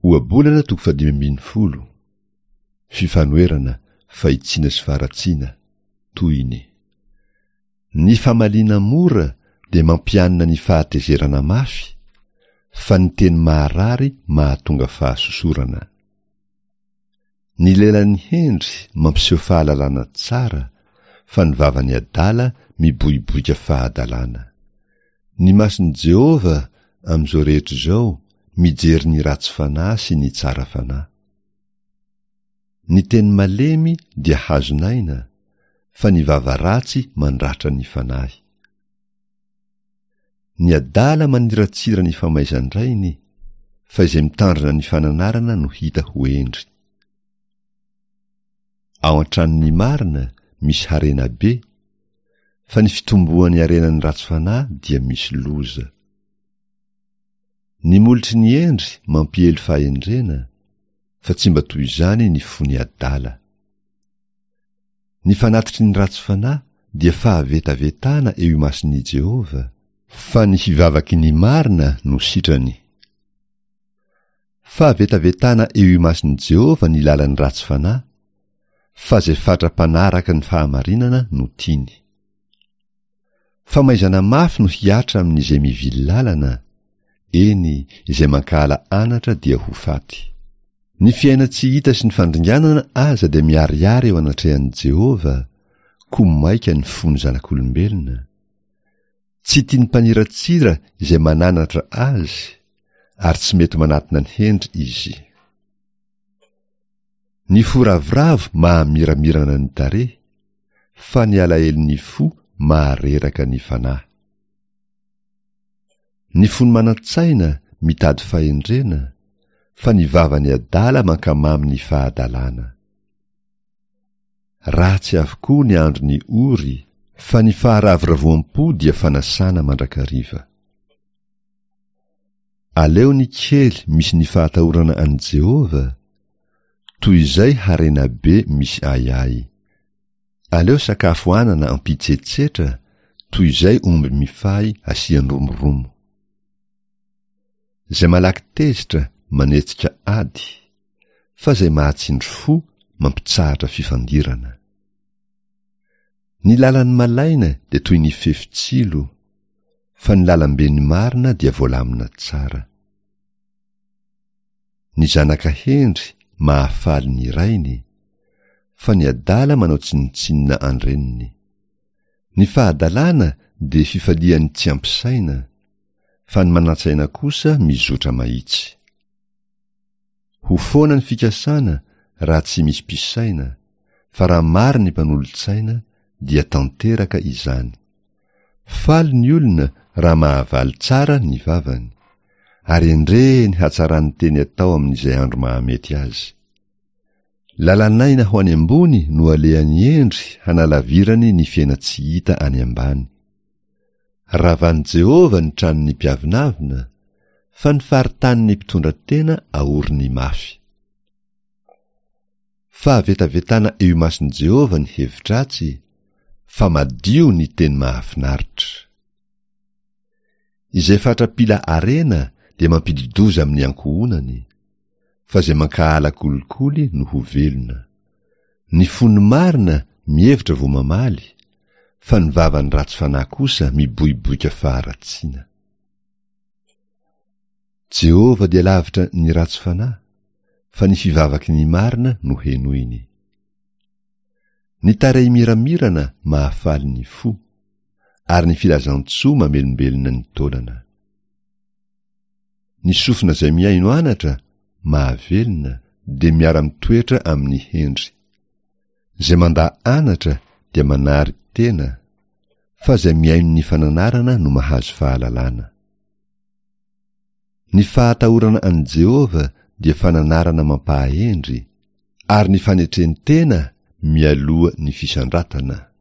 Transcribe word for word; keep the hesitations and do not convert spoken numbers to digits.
Ohabolana toko fahadimy ambin'ny folo. Fifanoherana, fahitsiana sy faharatsiana. Tohiny. Ny famaliana mora dia mampianina ny fahatezerana mafy, fa ny teny maharary mahatonga fahasosorana. Ny lelan'ny hendry mampiseho fahalalana tsara, fa ny vavan'ny adala miboiboika fahadalana. Ny mason'i Jehovah amin'izao rehetra izao mijery ny ratsy fanahy sy ny tsara fanahy. Ny teny malemy dia hazon'aina, fa ny vava ratsy mandratra ny fanahy. Ny adala maniratsira ny famaizan-drainy, fa izay mitandrina ny fananarana no hita ho hendry. Ao an-tranon'ny marina misy harena be, fa ny fitomboan'ny harenan'ny ratsy fanahy dia misy loza. Ny molotry ny hendry mampiely fahendrena, fa tsy mba toy izany ny fon'ny adala. Ny fanatitry ny ratsy fanahy dia fahavetavetana eo imason'i Jehovah, fa ny fivavaky ny marina no sitrany. Fahavetavetana eo imason'i Jehovah ny lalan'ny ratsy fanahy, fa izay fatra-panaraka ny fahamarinana no tiany. Famaizana mafy no hihatra amin'izay mivily lalana, eny, izay mankahala anatra dia ho faty. Ny fiainan-tsy hita sy ny fandringanana aza dia miharihary eo anatrehan'i Jehovah, koa maika ny fon'ny zanak'olombelona. Tsy tian'ny mpaniratsira izay mananatra azy, ary tsy mety manatona ny hendry izy. Ny fo ravoravo mahamiramirana ny tarehy, fa ny alahelon'ny fo mahareraka ny fanahy. Ny fon'ny manan-tsaina mitady fahendrena, fa ny vavan'ny adala mankamamy ny fahadalana. Ratsy avokoa ny andron'ny ory, fa ny faharavoravoam-po dia fanasana mandrakariva. Aleo ny kely misy ny fahatahorana an'i Jehovah, toy izay harena be misy ahiahy. Aleo sakafo anana ampitsetsetra, toy izay omby mifahy asian-dromoromo. Izay malaky tezitra manetsika ady, fa izay mahatsindry fo mampitsahatra fifandirana. Ny lalan'ny malaina dia toy ny fefy tsilo, fa ny lalamben'ny marina dia voalamina tsara. Ny zanaka hendry mahafaly ny rainy, fa ny adala manao tsinontsinona an-dreniny. Ny fahadalana dia fifalian'ny tsy ampy saina, fa ny manan-tsaina kosa mizotra mahitsy. Ho foana ny fikasana raha tsy misy mpisaina, fa raha maro ny mpanolo-tsaina dia tanteraka izany. Faly ny olona raha mahavaly tsara ny vavany, ary endre ny hatsaran'ny teny atao amin'izay andro mahamety azy. Lalan'aina ho any ambony no alehan'ny hendry hanalavirany ny fiainan-tsy hita any ambany. Ravan'i Jehovah ny tranon'ny mpiavonavona, fa ny faritanin'ny mpitondra tena aoriny mafy. Fahavetavetana eo imason'i Jehovah ny hevi-dratsy, fa madio ny teny mahafinaritra. Izay fatra-pila harena dia mampidi-doza amin'ny ankohonany, fa izay mankahala kolikoly no ho velona. Ny fon'ny marina mihevitra vao mamaly, fa ny vavan'ny ratsy fanahy kosa miboiboika faharatsiana. Jehovah dia lavitra ny ratsy fanahy, fa ny fivavaky ny marina no henoiny. Ny tarehy miramirana mahafaly ny fo, ary ny filazantsoa mamelombelona ny taolana. Ny sofina izay mihaino anatra mahavelona dia miara-mitoetra amin'ny hendry. Izay mandà anatra dia manary tena, fa izay mihaino ny fananarana no mahazo fahalalana. Ny fahatahorana an'i Jehovah dia fananarana mampahahendry, ary ny fanetren-tena mialoha ny fisandratana.